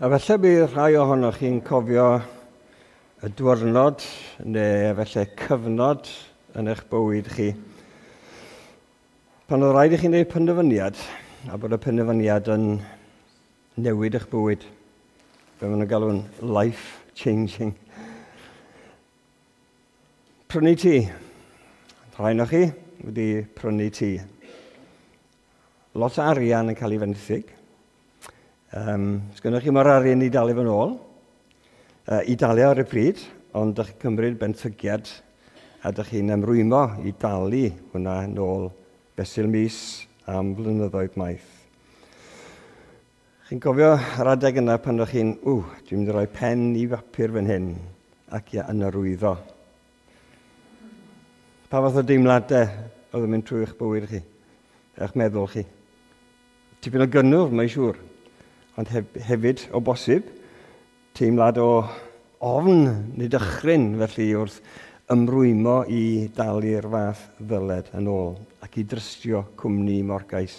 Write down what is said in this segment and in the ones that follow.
A falle bydd rhai ohonoch chi'n cofio y diwrnod neu falle cyfnod yn eich bywyd chi pan oedd rhaid i chi wneud penderfyniad a bod y penderfyniad yn newid eich bywyd. Be maen nhw'n galw'n life changing. Prynu tŷ. Rhai ohonoch chi wedi prynu tŷ. Lot o arian yn cael ei fenthyg. Sgynnoch chi mo'r arian i dalu fo'n ôl, i dalu ar y pryd, ond dych chi'n cymryd benthygiad a dych chi'n ymrwymo i dalu hwnna nôl fesul mis am flynyddoedd maith. Chi'n cofio yr adeg yna pan o'ch chi'n, ww, dwi'n mynd i roi pen i bapur fan hyn ac i ynarwyddo. Pa fath o deimladau oedd yn mynd trwy eich bywyd chi, eich meddwl chi? Tipyn o gynnwrf, mae'n siŵr, ond hefyd, o bosib, teimlad o ofn neu dychryn, felly wrth ymrwymo i dalu'r fath ddyled yn ôl ac i drystio cwmni morgais.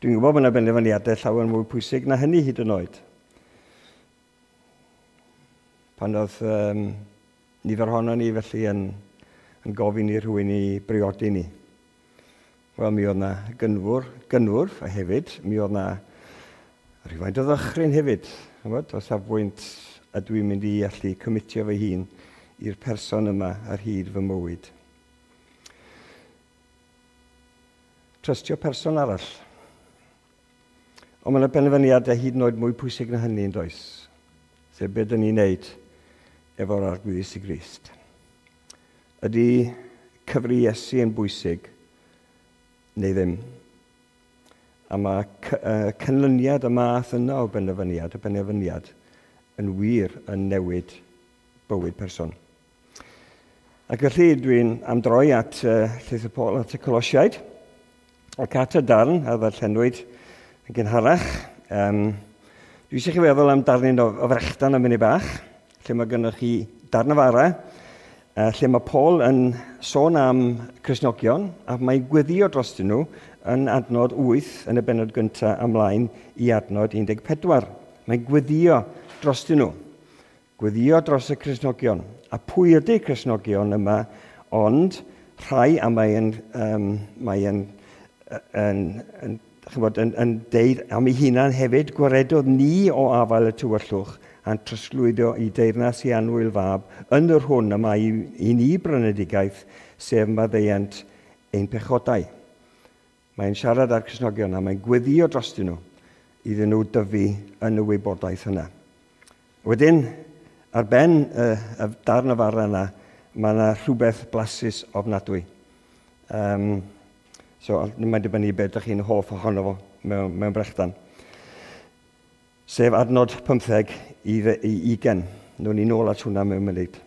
Dwi'n gwybod bod yna benderfyniadau llawer mwy pwysig na hynny hyd yn oed. Pan oedd nifer ohono ni felly yn gofyn i rhywun i briodi ni. Wel, mi oedd na gynnwrf a hefyd, mi oedd na rhywfaint o ddychryn hefyd. Ch'mod, o safbwynt a dwi'n mynd i allu cymitio fy hun i'r person yma ar hyd fy mywyd. Trystio person arall. Ond mae yna benderfyniadau hyd yn oed mwy pwysig na hynny yn does? Sef beth dyn ni'n neud efo'r Arglwydd Iesu Grist. Ydy cyfri Iesu yn bwysig neu ddim? A mae canlyniad y math yna o benderfyniad, y benderfyniad, yn wir yn newid bywyd person. Ac felly dwi'n am droi at Llythyr Paul at y Colosiaid ac at y darn a ddarllenwyd yn gynharach. Dwi eisiau chi feddwl am darnyn o frechdan am munud bach, lle mae gennych chi darn o fara, lle mae Paul yn sôn am Cristnogion, a mae'n gweddio drostyn nhw yn adnod 8 yn y bennod gyntaf ymlaen i adnod 14. Mae'n gweddio drostyn nhw. Gweddio dros y Cristnogion. A pwy ydy Cristnogion yma? Ond rhai, a mae'n deud am ei hunan hefyd, gwaredodd ni o afael y tywyllwch a'n trosglwyddo i deyrnas i annwyl fab yn yr hwn y mae i ni brynedigaeth, sef maddeuant ein pechodau. Mae'n siarad â'r Cristnogion a mae'n gweddio drostyn nhw iddyn nhw dyfu yn y wybodaeth yna. Wedyn, ar ben y darn o fara yna, mae yna rhywbeth blasus ofnadwy. So, mae'n dibynnu beth ydych chi'n hoff ohono fo mewn brechdan. Sef adnod 15 i 20. Nw'n ni nôl at hwnna mewn munud.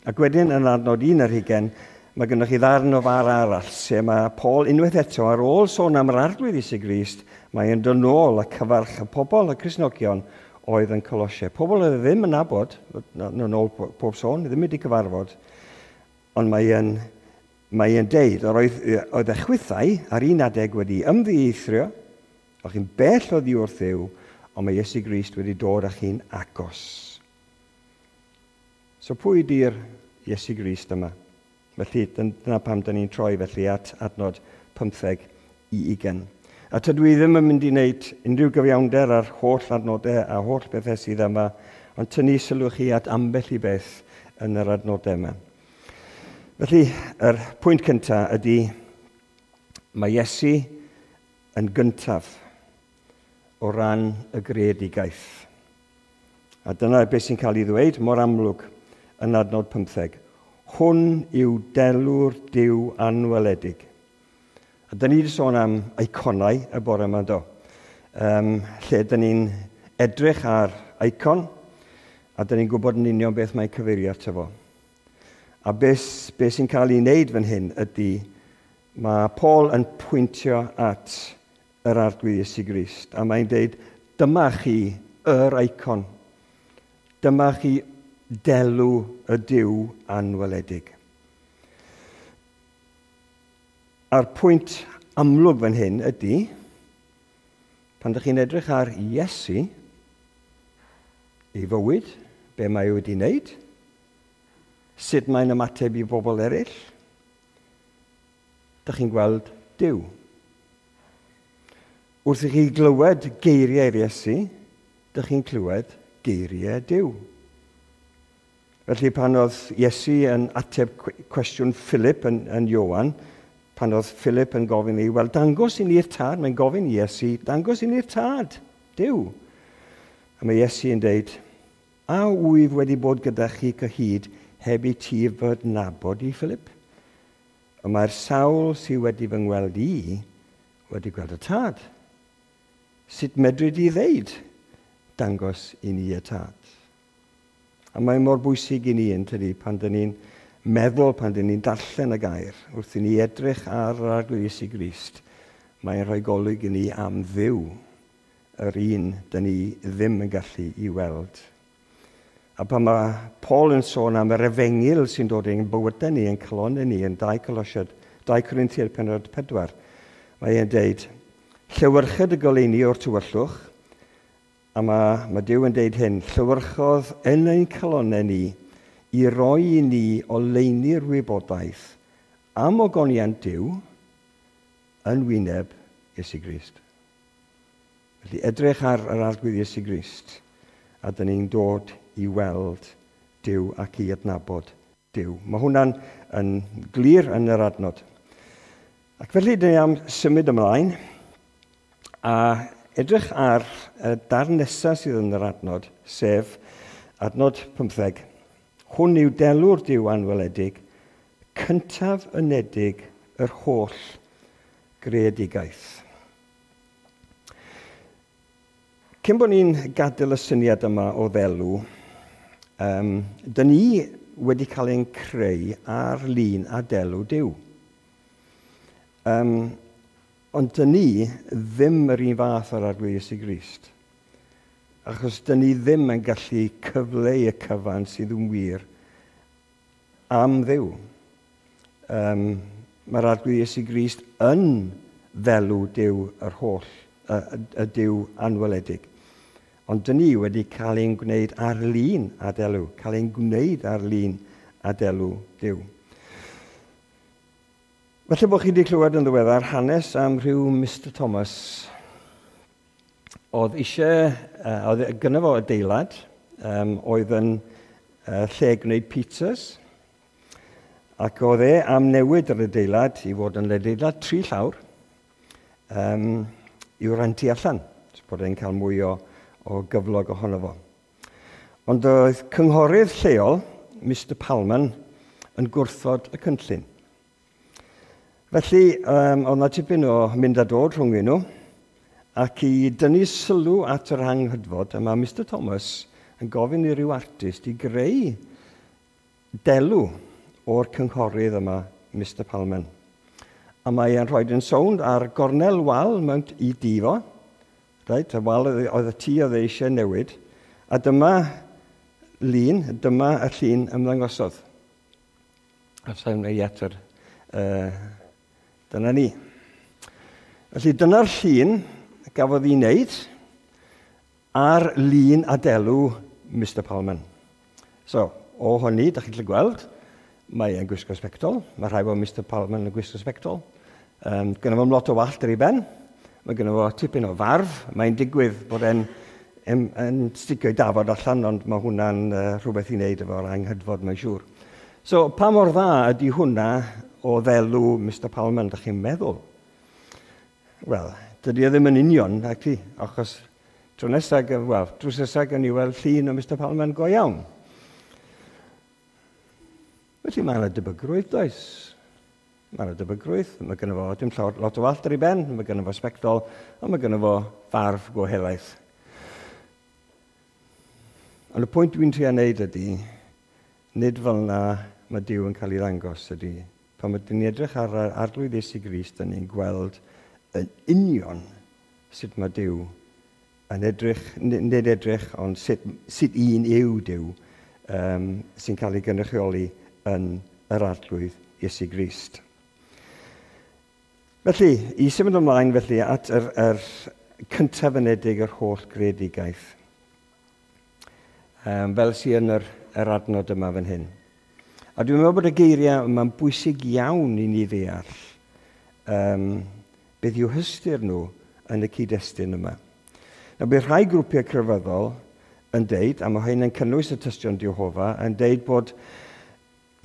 Ac wedyn yn adnod 21, mae gennych chi ddarn o fara arall, lle mae Paul unwaith eto ar ôl sôn am yr Arglwydd Iesu Grist, mae yn dod nôl a cyfarch y pobl, y Cristnogion, oedd yn Colosiau. Pobl oedd ddim yn nabod, yn ôl pob sôn, ddim wedi cyfarfod, ond mae'n deud, oedd y chwithau ar un adeg wedi ymddieithrio, o'ch chi'n bell oddi wrth Dduw, ond mae Iesu Grist wedi dod â chi'n agos. So pwy ydy'r Iesu Grist yma? Felly dyna pam dyn ni'n troi felly at adnod 15 i 20. A tydw i ddim yn mynd i wneud unrhyw gyfiawnder ar holl adnodau a holl bethau sydd yma, ond tynnu sylw chi at ambell i beth yn yr adnodau yma. Felly, yr pwynt cyntaf ydy, mae Iesu yn gyntaf o ran y greadigaeth. A dyna beth sy'n cael ei ddweud mor amlwg yn adnod 15. Hwn yw delw'r Duw anweledig. A dyn ni wedi sôn am eiconau y bore yma, do. Lle dyn ni'n edrych ar eicon, a dyn ni'n gwybod yn union beth mae'n cyfeirio ato fo. A beth sy'n cael ei wneud fan hyn ydy, mae Paul yn pwyntio at yr Arglwydd Iesu Grist, a mae'n deud, dyma chi yr eicon, dyma chi delw y Duw anweledig. A'r pwynt amlwg fan hyn ydy, pan ydych chi'n edrych ar Iesu, Ei fywyd, be mae wedi wneud, sut mae'n ymateb i bobl eraill, dych chi'n gweld Duw. Wrth i chi glywed geiriau'r Iesu, dych chi'n clywed geiriau Duw. Felly pan oedd Iesu yn ateb cwestiwn Philip yn Ioan, pan oedd Philip yn gofyn i, wel, dangos i ni'r tad, mae'n gofyn i Iesu, dangos i ni'r tad, Duw. A mae Iesu yn deud, a wyf wedi bod gyda chi cyhyd heb i ti fy nabod i, Philip? Y mae'r sawl sydd wedi fy ngweld i wedi gweld y tad. Sut medru di ddeud, dangos i ni y tad? A mae mor bwysig i ni yn tydi pan dyn ni'n meddwl, pan dyn ni'n darllen y gair, wrth i ni edrych ar yr Arglwydd Iesu Grist, mae'n rhoi golwg i ni am Dduw, yr un dyn ni ddim yn gallu i weld. A pan mae Paul yn sôn am yr efengyl sy'n dod ein bywydau ni, yn calonnau ni, yn 2 Colosiaid, 2 Corinthiaid pennod 4, mae e'n deud, llewyrched y goleuni o'r tywyllwch, a mae Duw yn deud hyn, llewyrchodd yn ein calonnau ni i roi i ni oleuni'r wybodaeth am ogoniant Duw yn wyneb Iesu Grist. Felly edrych ar yr Arglwydd Iesu Grist, a dyn ni'n dod i weld Duw ac i adnabod Duw. Mae hwnna'n yn glir yn yr adnod. Ac felly dyn ni am symud ymlaen a edrych ar y darn nesaf sydd yn yr adnod, sef adnod 15. Hwn yw delw'r Duw anweledig, cyntaf unedig yr holl greadigaeth. Cyn bod ni'n gadael y syniad yma o ddelw, dyn ni wedi cael ein creu ar lun a delw Duw. Ond dyn ni ddim yr un fath o'r Arglwydd Iesu Grist. Achos dyn ni ddim yn gallu cyfleu y cyfan sydd yn wir am Dduw. Mae'r Arglwydd Iesu Grist yn ddelw Duw yr holl, y Duw anweledig. Ond dyn ni wedi cael ein gwneud ar lun a delw, cael ein gwneud ar lun a delw Duw. Falle bod chi wedi clywed yn ddiweddar hanes am rhyw Mr Thomas. Oedd eisiau, oedd gynno fo adeilad, oedd yn lle gwneud pizzas, ac oedd e am newid yr adeilad i fod yn adeilad 3 llawr, i'w rentu allan, so bod e'n cael mwy o gyflog ohono fo. Ond oedd cynghorydd lleol, Mr Palman, yn gwrthod y cynllun. Felly, oedd yna tipyn o mynd a dod rhwng nhw, ac i dynnu sylw at yr anghydfod, a mae Mr Thomas yn gofyn i ryw artist i greu delw o'r cynghorydd yma, Mr Palman. A mae e'n rhoi yn sownd ar gornel wal mewn i dŷ fo. Reit, y wal oedd y tŷ oedd e eisiau newid. A dyma lun, dyma y llun ymddangosodd. A sa'n ei eto, dyna ni. Felly dyna'r llun gafodd ei wneud ar lun a delw Mr Palman. So, o hynny, da chi'n gallu gweld, mae e'n gwisgo sbectol. Mae rhai bod Mr Palman yn gwisgo sbectol. Gynno fo'm lot o wallt ar ei ben. Mae gynno fo tipyn o farf. Mae'n digwydd bod e'n yn sticio ei dafod allan, ond mae hwnna'n rhywbeth i wneud efo'r anghydfod, mae'n siŵr. So, pa mor dda ydy hwnna o ddelw Mr Palman, da chi'n meddwl? Wel, dydy o ddim yn union, ac achos tro nesaf, wel, drws nesaf gawn ni weld llun o Mr Palman go iawn. Felly mae yna debygrwydd, does? Mae yna debygrwydd, mae gynno fo dim llawer, lot o wallt ar ei ben, mae gynno fo sbectol, a mae gynno fo farf go helaeth. Ond y pwynt dwi'n trio wneud ydy, nid fel yna mae Duw yn cael ei ddangos ydy. Pan ydyn ni'n edrych ar yr Arglwydd Iesu Grist, dyn ni'n gweld yn union sut mae Duw yn edrych, nid edrych, ond sut un yw Duw sy'n cael ei gynrychioli yn yr Arglwydd Iesu Grist. Felly, i symud ymlaen felly at yr cyntaf unedig yr holl greadigaeth. Fel sydd yn yr adnod yma fan hyn. A dwi'n meddwl bod y geiriau yma'n bwysig iawn i ni ddeall beth yw hystyr nhw yn y cyd-destun yma. Nawr, bydd rhai grwpiau crefyddol yn deud, a mae hyn yn cynnwys y Tystion Jehofa, yn deud bod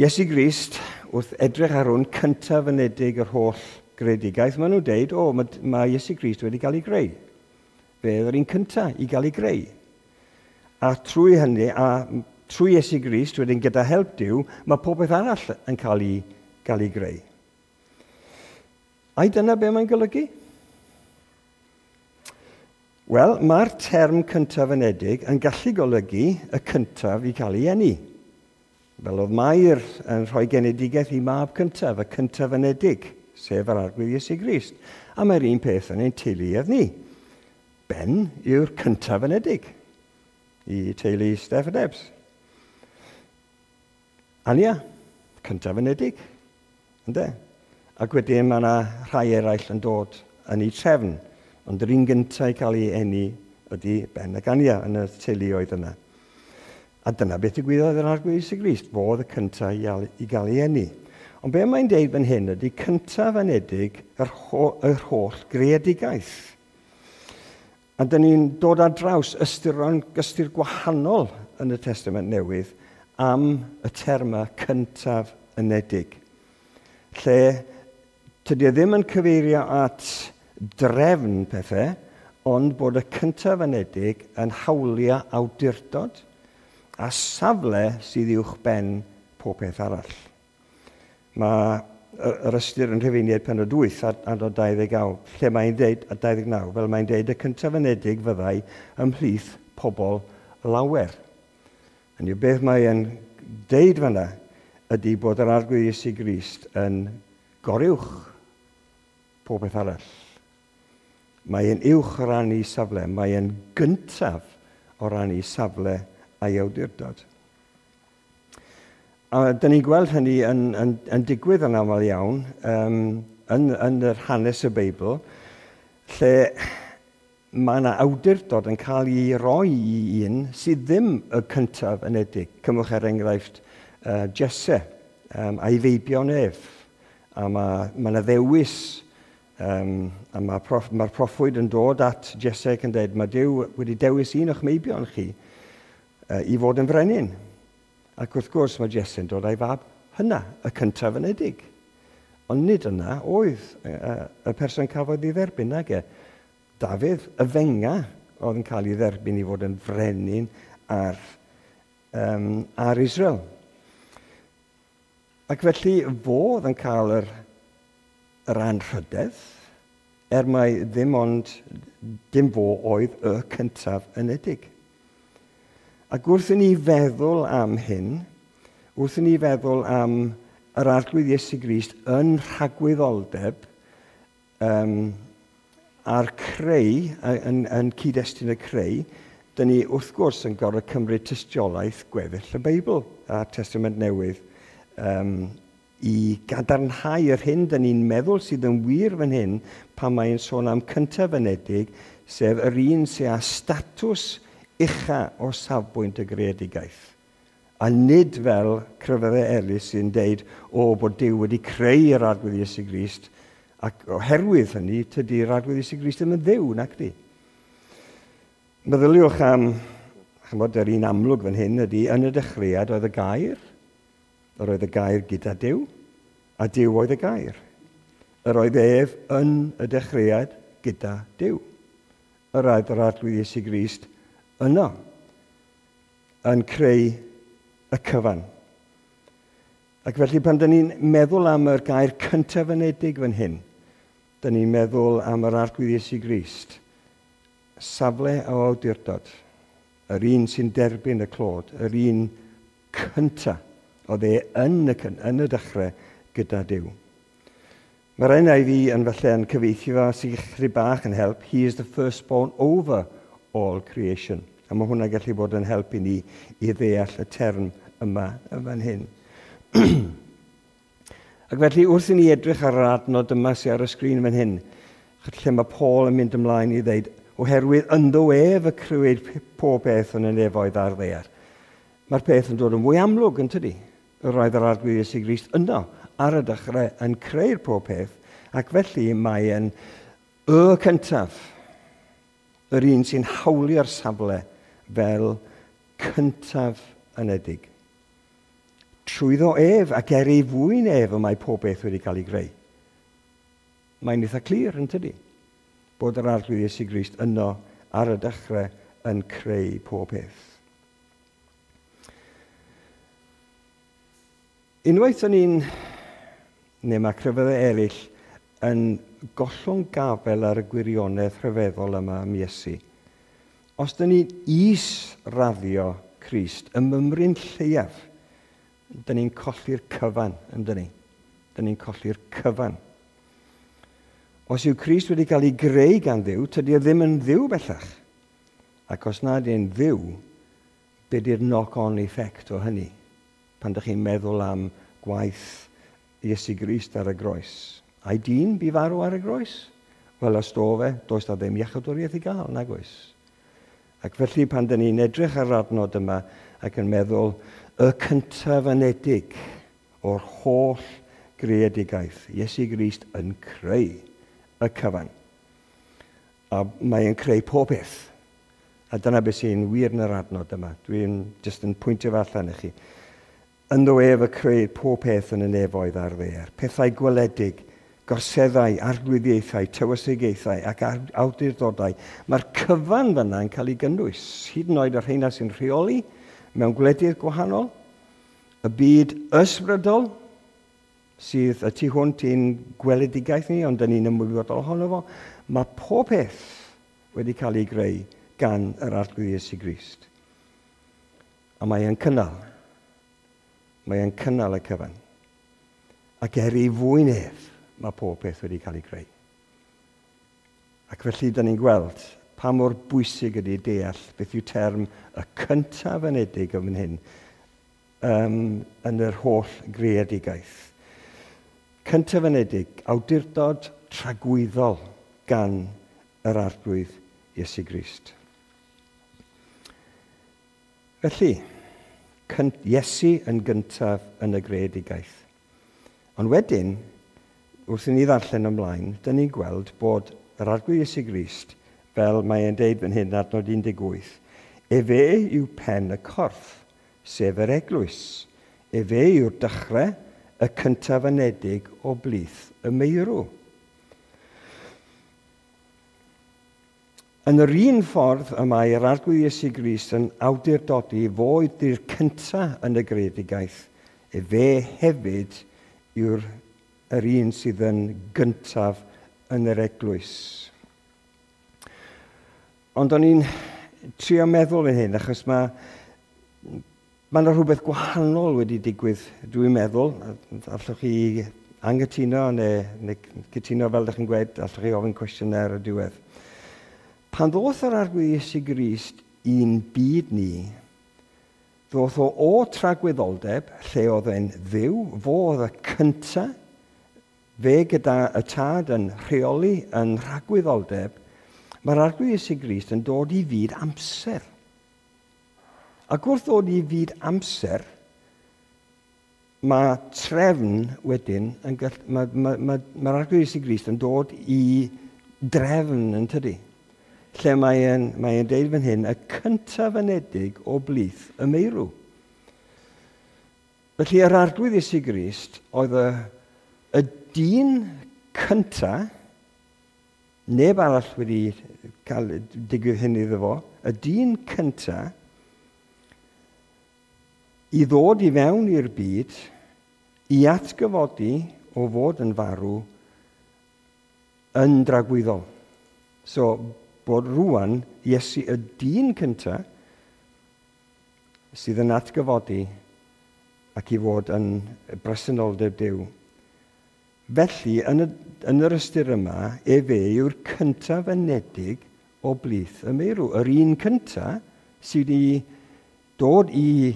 Iesu Grist, wrth edrych ar hwn, cyntaf ynedig yr holl greadigaeth, maen nhw'n deud, o, mae Iesu Grist wedi cael ei greu. Fe oedd yr un cyntaf i gael ei greu. A trwy hynny, a trwy Iesu Grist, wedyn gyda help Duw, mae popeth arall yn cael ei greu. Ai dyna be mae'n golygu? Wel, mae'r term cyntaf ynedig yn gallu golygu y cyntaf i cael ei eni. Fel oedd Mair yn rhoi genedigaeth i mab cyntaf, y cyntaf ynedig, sef yr Arglwydd Iesu Grist. A mae'r un peth yn ein teuluoedd ni. Ben yw'r cyntaf ynedig i teulu Steph a Debs. Ania, cyntaf ynedig. Ynde? Ac wedyn mae yna rhai eraill yn dod yn ei trefn. Ond yr un gyntaf i cael ei eni ydy Ben ac Ania yn y teuluoedd yna. A dyna beth ddigwyddodd yr Arglwydd Iesu Grist, fo oedd y cyntaf i gael ei eni. Ond be mae'n deud fan hyn ydy cyntaf anedig yr holl greadigaeth. A dyn ni'n dod ar draws ystyr gwahanol yn y Testament Newydd am y terma cyntaf anedig. Lle tydi e ddim yn cyfeirio at drefn pethau, ond bod y cyntaf anedig yn hawlio awdurdod a safle sydd uwch ben pob peth arall. Mae yr ystyr yn Rhufeiniaid pennod 8 adnod 29, lle mae'n deud, a 29, fel mae'n deud, y cyntaf anedig fyddai ymhlith pobl lawer. Hynny yw, beth mae'n deud fanna ydy bod yr Arglwydd Iesu Grist yn goruwch pob peth arall. Mae'n uwch o ran ei safle, mae'n gyntaf o ran ei safle a'i awdurdod. A dyn ni'n gweld hynny yn digwydd yn aml iawn yn yr hanes y Beibl, lle mae yna awdurdod yn cael ei roi i un sydd ddim y cyntaf anedig. Cymwch er enghraifft Jesse a'i feibion ef. A mae yna ddewis, a mae'r proffwyd yn dod at Jesse ac yn dweud, mae Duw wedi dewis un o'ch meibion chi i fod yn frenin. Ac wrth gwrs mae Jesse'n dod â'i fab hynna, y cyntaf anedig. Ond nid yna oedd y person cafodd ei dderbyn, nag e. Dafydd, y fenga, oedd yn cael ei dderbyn i fod yn frenin ar Israel. Ac felly fo oedd yn cael yr anrhydedd, er mai ddim ond dim fo oedd y cyntaf anedig. Ac wrth i ni feddwl am hyn, wrth i ni feddwl am yr Arglwydd Iesu Grist yn rhagwyddoldeb a'r creu, yn cyd-destun y creu, dyn ni wrth gwrs yn gorfod cymryd tystiolaeth gweddill y Beibl a'r Testament Newydd i gadarnhau yr hyn dyn ni'n meddwl sydd yn wir fan hyn pan mae'n sôn am cyntaf anedig, sef yr un sydd â statws ucha o safbwynt y greadigaeth. A nid fel crefyddau eraill sy'n deud, o, bod Duw wedi creu yr Arglwydd Iesu Grist, ac oherwydd hynny, tydi'r Arglwydd Iesu Grist ddim yn Dduw, nac di. Meddyliwch am, chymod, yr un amlwg fan hyn ydy, yn y dechreuad oedd y gair, yr oedd y gair gyda Duw, a Duw oedd y gair. Yr oedd ef yn y dechreuad gyda Duw. Yr oedd yr Arglwydd Iesu Grist yno, yn creu y cyfan. Ac felly pan dyn ni'n meddwl am yr gair cyntaf anedig fan hyn, dyn ni'n meddwl am yr Arglwydd Iesu Grist, safle o awdurdod, yr un sy'n derbyn y clod, yr un cyntaf oedd e yn y dechrau gyda Duw. Mae'r NIV yn falle yn cyfieithu fo sy'n chydig bach yn help, he is the firstborn over all creation. A mae hwnna gallu bod yn helpu ni i ddeall y term yma yn fan hyn. Ac felly wrth i ni edrych ar yr adnod yma sydd ar y sgrin fan hyn, lle mae Paul yn mynd ymlaen i ddeud, oherwydd ynddo ef y crëwyd pob peth yn y nefoedd a'r ddaear. Mae'r peth yn dod yn fwy amlwg yn tydi. Roedd yr Arglwydd Iesu Grist yno ar y dechrau yn creu'r pob peth, ac felly mae'n y cyntaf, yr un sy'n hawlio'r safle fel cyntaf anedig. Trwyddo ef ac er ei fwyn ef y mae pob beth wedi cael ei greu. Mae'n eitha clir yn tydi, bod yr Arglwydd Iesu Grist yno ar y dechrau yn creu pob peth. Unwaith o'n i'n, neu mae crefyddau eraill, yn gollwng gafel ar y gwirionedd rhyfeddol yma am Iesu. Os dyn ni'n is-raddio Crist, y mymryn lleiaf, dyn ni'n colli'r cyfan, yn dyn ni? Dyn ni'n colli'r cyfan. Os yw Crist wedi cael ei greu gan Dduw, tydi e ddim yn Dduw bellach. Ac os nad yw'n Dduw, be di'r knock-on effect o hynny? Pan ydych chi'n meddwl am gwaith Iesu Grist ar y groes. Ai dyn bu farw ar y groes? Wel, os do fe, does da ddim iachawdwriaeth i gael, nag oes. Ac felly pan dyn ni'n edrych ar yr adnod yma ac yn meddwl y cyntaf anedig o'r holl greadigaeth, Iesu Grist yn creu y cyfan. A mae'n creu pob peth. A dyna beth sy'n wir yn yr adnod yma. Dwi'n jyst yn pwyntio fe allan i chi. Ynddo ef y creu pob peth yn y nefoedd a'r ddaear. Pethau gweledig, gorseddau, arglwyddiaethau, tywysogaethau ac awdurdodau. Mae'r cyfan fyna yn cael ei gynnwys, hyd yn oed y rheina sy'n rheoli mewn gwledydd gwahanol, y byd ysbrydol sydd y tu hwnt i'n gweledigaeth ni, ond dyn ni'n ymwybodol ohono fo. Mae pob peth wedi cael ei greu gan yr Arglwydd Iesu Grist. A mae e'n cynnal. Mae e'n cynnal y cyfan. Ac er ei fwyn ef, mae pob peth wedi cael ei greu. Ac felly, dyn ni'n gweld pa mor bwysig ydy deall beth yw term y cyntaf anedig yn fan hyn yn yr holl greadigaeth. Cyntaf anedig, awdurdod tragwyddol gan yr Arglwydd Iesu Grist. Felly, Iesu yn gyntaf yn y greadigaeth. Ond wedyn, wrth i ni ddarllen ymlaen, dyn ni'n gweld bod yr Arglwydd Iesu Grist, fel mae e'n deud fan hyn, adnod 18, efe yw pen y corff, sef yr eglwys. Efe yw'r dechrau, y cyntaf anedig o blith y meirw. Yn yr un ffordd y mae yr Arglwydd Iesu Grist yn awdurdodi fo ydy'r cyntaf yn y greadigaeth, efe hefyd yw'r yr un sydd yn gyntaf yn yr eglwys. Ond o'n i'n trio meddwl yn hyn, achos mae yna rhywbeth gwahanol wedi digwydd, dwi'n meddwl. Allwch chi anghytuno neu cytuno fel ydych chi'n gweud, allwch chi ofyn cwestiynau ar y diwedd. Pan ddoth yr Arglwydd Iesu Grist i'n byd ni, ddoth o tragwyddoldeb, lle oedd e'n Dduw, fo oedd y cyntaf, fe gyda y Tad yn rheoli yn rhagwyddoldeb, mae'r Arglwydd Iesu Grist yn dod i fyd amser. Ac wrth ddod i fyd amser, mae trefn wedyn, mae'r Arglwydd Iesu Grist yn dod i drefn yn tydi. Lle mae'n deud fan hyn, y cyntaf anedig o blith y meirw. Felly yr Arglwydd Iesu Grist oedd y dyn cyntaf, neb arall wedi cael digwydd hyn iddo fo, y dyn cyntaf i ddod i fewn i'r byd, i atgyfodi o fod yn farw yn dragwyddol. So, bod rwan Iesu y dyn cyntaf sydd yn atgyfodi ac i fod yn bresenoldeb Duw. Felly, yn yr ystyr yma, efe yw'r cyntaf anedig o blith y meirw. Yr un cyntaf sydd wedi dod i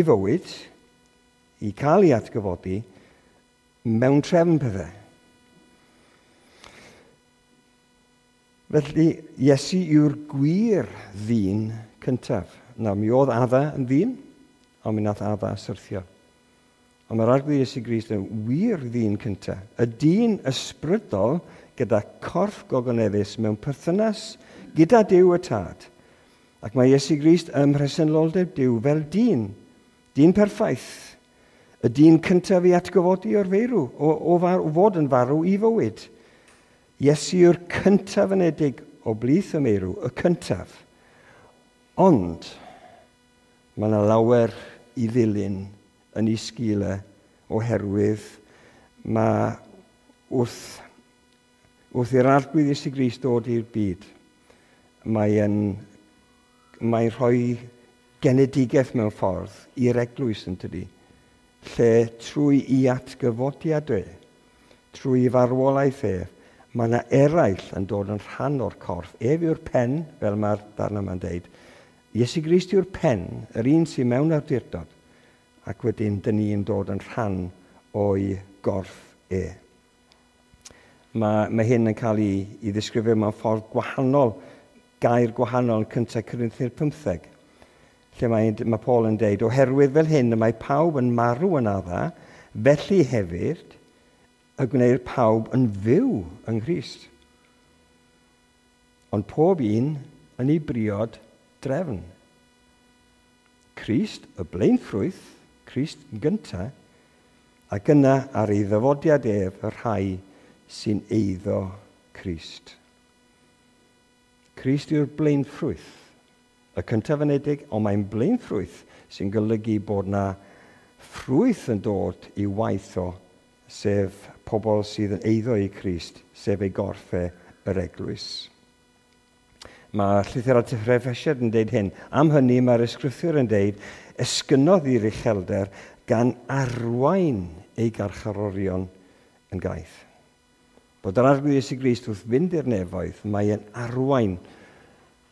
fywyd, i cael ei atgyfodi, mewn trefn pethau. Felly, Iesu yw'r gwir ddyn cyntaf. Nawr, mi oedd Adda yn ddyn, Ond mi nath Adda syrthio. Ond mae'r Arglwydd Iesu Grist yn wir ddyn cyntaf. Y dyn ysbrydol gyda corff gogoneddus mewn perthynas gyda Duw y Tad. Ac mae Iesu Grist ym mhresenoldeb Duw fel dyn. Dyn perffaith. Y dyn cyntaf i atgyfodi o'r feirw, o fod yn farw i fywyd. Iesu yw'r cyntaf anedig o blith y meirw, y cyntaf. Ond mae yna lawer i ddilyn yn ei sgil e, oherwydd mae wrth i'r Arglwydd Iesu Grist dod i'r byd, mae'n rhoi genedigaeth mewn ffordd i'r eglwys yn tydi, lle trwy i atgyfodiad e, trwy i farwolaeth ef, mae yna eraill yn dod yn rhan o'r corff. Ef yw'r pen, fel mae'r darn yma'n deud. Iesu Grist yw'r pen, yr un sy'n mewn awdurdod, ac wedyn dyn ni'n dod yn rhan o'i gorff e. Mae hyn yn cael ei ddisgrifio mewn ffordd gwahanol, gair gwahanol yn 1 Corinthiaid 15, lle mae Paul yn deud, oherwydd fel hyn y mae pawb yn marw yn Adda, felly hefyd y gwneir pawb yn fyw yng Nghrist. Ond pob un yn ei briod drefn. Crist, y blaenffrwyth, Crist yn gyntaf, ac yna ar ei ddyfodiad ef y rhai sy'n eiddo Crist. Crist yw'r blaenffrwyth, y cyntaf anedig, ond mae'n blaenffrwyth sy'n golygu bod na ffrwyth yn dod i waith o, sef pobl sydd yn eiddo i Crist, sef ei gorff e, yr eglwys. Mae llythyr at yr Effesiaid yn deud hyn. Am hynny mae'r ysgrythur yn deud, esgynodd i'r uchelder gan arwain ei garcharorion yn gaeth. Bod yr Arglwydd Iesu Grist wrth fynd i'r nefoedd, mae e'n arwain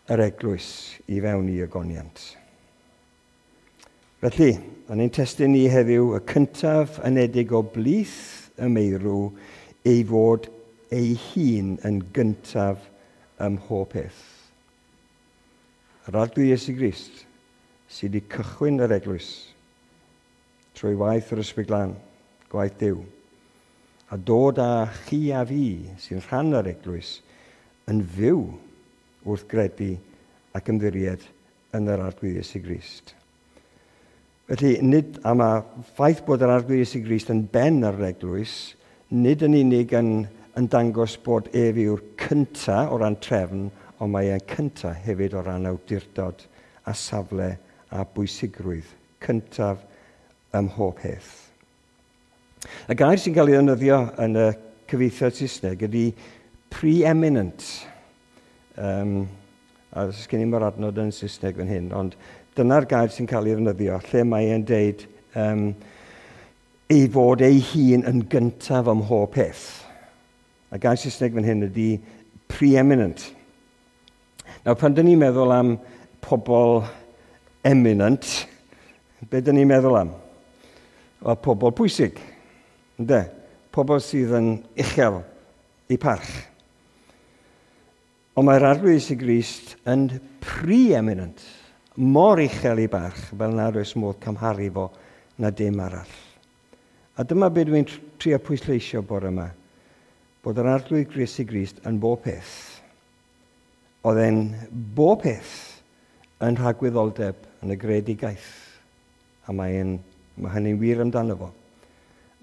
yr eglwys i fewn i ogoniant. Felly, yn ein testun ni heddiw, y cyntaf anedig o blith y meirw, ei fod ei hun yn gyntaf ym mhob peth. Yr Arglwydd Iesu Grist sydd wedi cychwyn yr eglwys trwy waith yr Ysbryd Glân, gwaith Duw, a dod â chi a fi sy'n rhan o'r eglwys yn fyw wrth gredu ac ymddiried yn yr Arglwydd Iesu Grist. Felly, nid am y ffaith bod yr Arglwydd Iesu Grist yn ben ar yr eglwys, nid yn unig yn dangos bod ef yw'r cynta o ran trefn, ond mae e'n cynta hefyd o ran awdurdod a safle a bwysigrwydd cyntaf ym mhob peth. Y gair sy'n cael ei ddefnyddio yn y cyfieithiad Saesneg ydy preeminent. A sgen i'm yr adnod yn Saesneg fan hyn, ond dyna'r gair sy'n cael ei ddefnyddio, lle mae e'n deud ei fod ei hun yn gyntaf ym mhob peth. A gair Saesneg fan hyn ydy preeminent. Nawr, pan dyn ni'n meddwl am pobl eminent, be dyn ni'n meddwl am? Wel, pobl pwysig, ynde? Pobl sydd yn uchel eu parch. Ond mae'r Arglwydd Iesu Grist yn preeminent, mor uchel ei barch, fel nad oes modd cymharu fo na dim arall. A dyma be dwi'n trio pwysleisio bore yma, bod yr Arglwydd Iesu Grist yn bob peth. Oedd e'n bob peth yn rhagwyddoldeb yn y greadigaeth. A mae hynny'n wir amdano fo.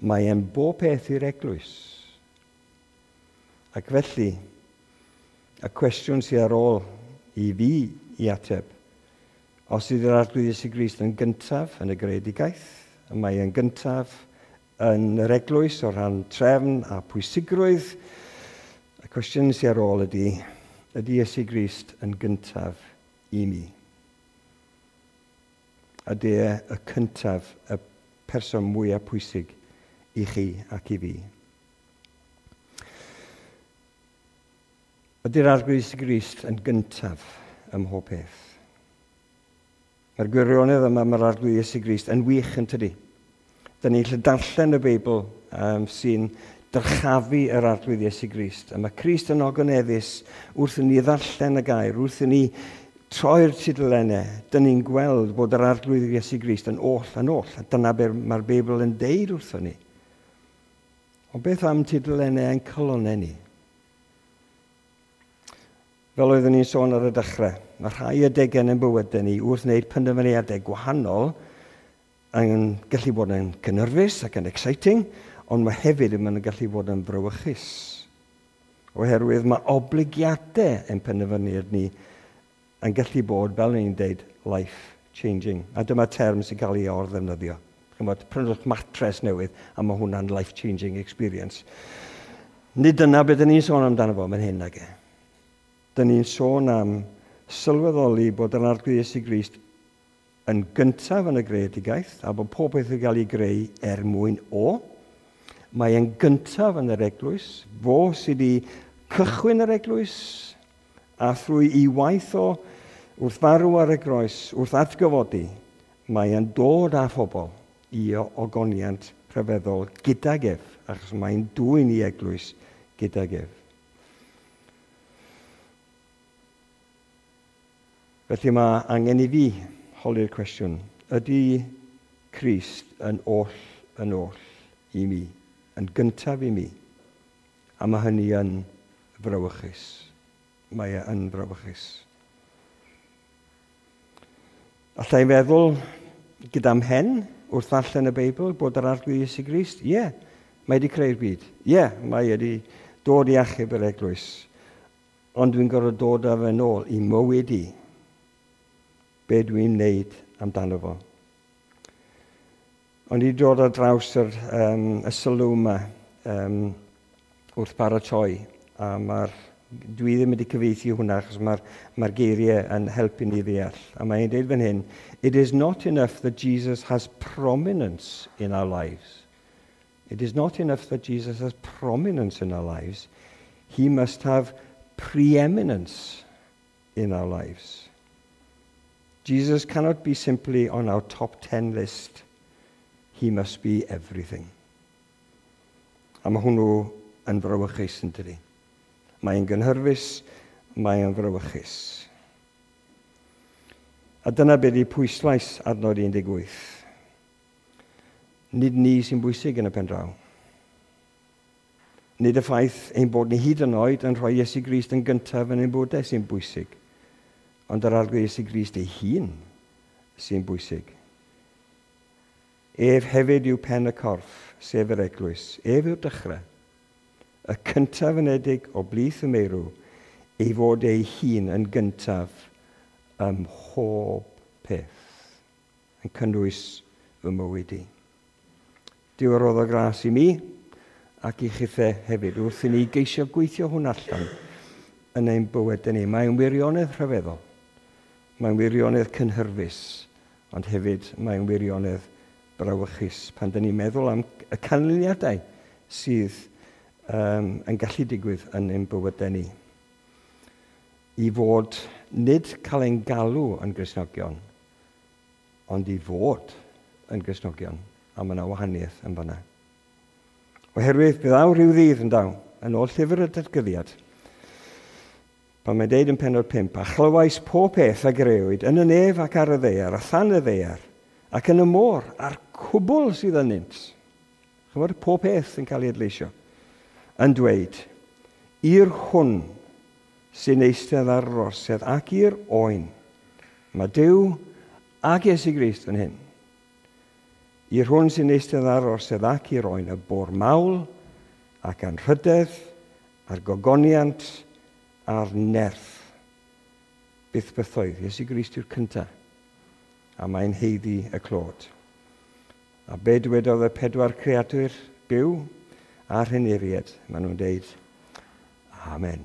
Mae e'n bob peth i'r eglwys. Ac felly, y cwestiwn sydd ar ôl i fi i ateb, os ydy'r Arglwydd Iesu Grist yn gyntaf yn y greadigaeth, y mae e'n gyntaf yn yr eglwys o ran trefn a pwysigrwydd, y cwestiwn sydd ar ôl ydy, ydy Iesu Grist yn gyntaf i mi? Ydy e y cyntaf, y person mwyaf pwysig i chi ac i fi? Ydy'r Arglwydd Iesu Grist yn gyntaf ym mhob peth? Mae'r gwirionedd yma, mae'r Arglwydd Iesu Grist yn wych yn tydi. Dyn ni'n gallu darllen y Beibl sy'n dyrchafu yr Arglwydd Iesu Grist. A mae Crist yn ogoneddus wrth i ni ddarllen y gair, wrth i ni Troi'r tudalennau, dyn ni'n gweld bod yr Arglwydd Iesu Grist yn oll yn oll, a dyna beth mae'r Beibl yn deud wrthon ni. Ond beth am tudalennau ein calonnau ni? Fel oeddwn ni'n sôn ar y dechrau, mae rhai adegau yn ein bywydau ni wrth wneud penderfyniadau gwahanol yn gallu bod yn gynhyrfus ac yn exciting, ond mae hefyd yn gallu bod yn frawychus. Oherwydd mae oblygiadau ein penderfyniad ni yn gallu bod, fel ni'n deud, life-changing. A dyma term sy'n cael ei or-ddefnyddio. Chymod, prynwch matres newydd a mae hwnna'n life-changing experience. Nid dyna beth ni'n sôn amdano fo, mae'n hyn ag e. Dyn ni'n sôn am sylweddoli bod yr Arglwydd Iesu Grist yn gyntaf yn y greadigaeth a bod pob peth yn cael ei greu er mwyn o. Mae e'n gyntaf yn yr eglwys, fo sydd wedi cychwyn yr eglwys a thrwy ei waith o wrth farw ar y groes, wrth atgyfodi, mae e'n dod â phobl i ogoniant rhyfeddol gydag ef, achos mae'n dwyn i eglwys gydag ef. Felly mae angen i fi holi'r cwestiwn, ydy Crist yn oll yn oll i mi, yn gyntaf i mi? A mae hynny yn frawychus. Mae e yn frawychus. Alla i feddwl gyda mhen wrth ddarllen y Beibl bod yr Arglwydd Iesu Grist, ie, yeah, mae wedi creu'r byd. Ie, yeah, mae wedi dod i achub yr eglwys. Ond dwi'n gorfod dod â fe nôl i mywyd i. Be dwi'n wneud amdano fo. Ond i dod ar draws y sylw yma wrth baratoi, a dwi ddim wedi cyfieithu hwnna achos mae'r mae geiriau yn helpu ni ddeall. A mae'n dweud fan hyn, "It is not enough that Jesus has prominence in our lives. It is not enough that Jesus has prominence in our lives. He must have preeminence in our lives. Jesus cannot be simply on our top 10 list. He must be everything." A mae hwnnw yn frawychus yn dydi. Mae'n gynhyrfus, mae'n frawychus. A dyna beth yw pwyslais adnod 18. Nid ni sy'n bwysig yn y pen draw. Nid y ffaith ein bod ni hyd yn oed yn rhoi Iesu Grist yn gyntaf yn ein bywydau sy'n bwysig, ond yr Arglwydd Iesu Grist ei hun sy'n bwysig. Ef hefyd yw pen y corff, sef yr eglwys. Ef yw'r dechrau. Y cyntaf anedig o blith y meirw, ei fod ei hun yn gyntaf ym mhob peth, yn cynnwys fy mywyd i. Duw a roddo gras i mi ac i chithe hefyd wrth i ni geisio gweithio hwn allan yn ein bywyd ni. Mae'n wirionedd rhyfeddol. Mae'n wirionedd cynhyrfus, ond hefyd mae'n wirionedd brawychus pan dyn ni'n meddwl am y canlyniadau sydd yn gallu digwydd yn ein bywydau ni. I fod nid cael ein galw yn Gristnogion, ond i fod yn Gristnogion, a mae yna wahaniaeth yn fanna. Oherwydd bydd awr rhyw ddydd yn daw, yn ôl llyfr y Datguddiad, pan mae'n deud yn pennod 5, "A chlywais pob peth a grëwyd yn y nef ac ar y ddaear, a than y ddaear, ac yn y môr, a'r cwbl sydd ynynt." Chymod, pob peth yn cael ei adleisio. "Yn dweud, i'r hwn sy'n eistedd ar yr orsedd ac i'r Oen." Mae Duw ac Iesu Grist yn hyn. "I'r hwn sy'n eistedd ar yr orsedd ac i'r Oen y bo'r mawl ac anrhydedd a'r gogoniant a'r nerth byth bythoedd." Iesu Grist yw'r cyntaf. A mae'n haeddu y clod. A be dywedodd y pedwar creadur byw a'r henuried? Maen nhw'n deud, "Amen."